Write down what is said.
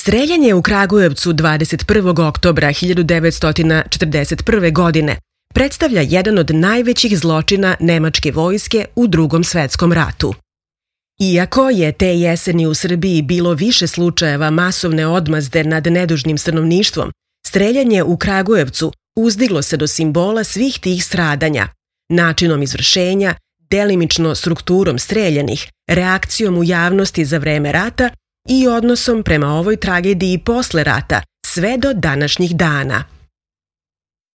Streljanje u Kragujevcu 21. oktobra 1941. godine predstavlja jedan od najvećih zločina nemačke vojske u Drugom svetskom ratu. Iako je te jeseni u Srbiji bilo više slučajeva masovne odmazde nad nedužnim stanovništvom, streljanje u Kragujevcu uzdiglo se do simbola svih tih stradanja, načinom izvršenja, delimično strukturom streljanih, reakcijom u javnosti za vreme rata i odnosom prema ovoj tragediji posle rata, sve do današnjih dana.